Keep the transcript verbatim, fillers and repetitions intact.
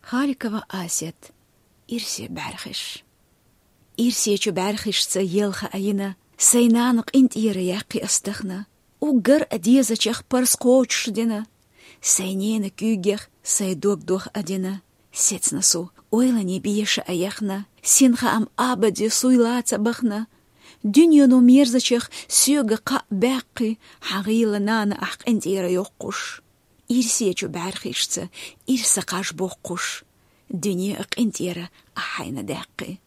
Халикова Асет. Ирсе бӀаргаш. Ирсечу бӀаргашца елха а йина, сай нана къинтӀера яьккхи ас тахана. Уггар а дезачех парз кхочушдина, сай нена куьйгех сай дог дох а дина. Сецна су, ойлане беша а яхна, синха ам абаде суй лаца бахна. Дуьнено мерзачех соьга кхаъ баьккхи, хьан гӀийла нана ахь къинтӀера йоккхуш. Ирсечу бӀаргашца ирса кхаж боккхуш, дуьне а къинтӀера ахь хьайна даьккхи.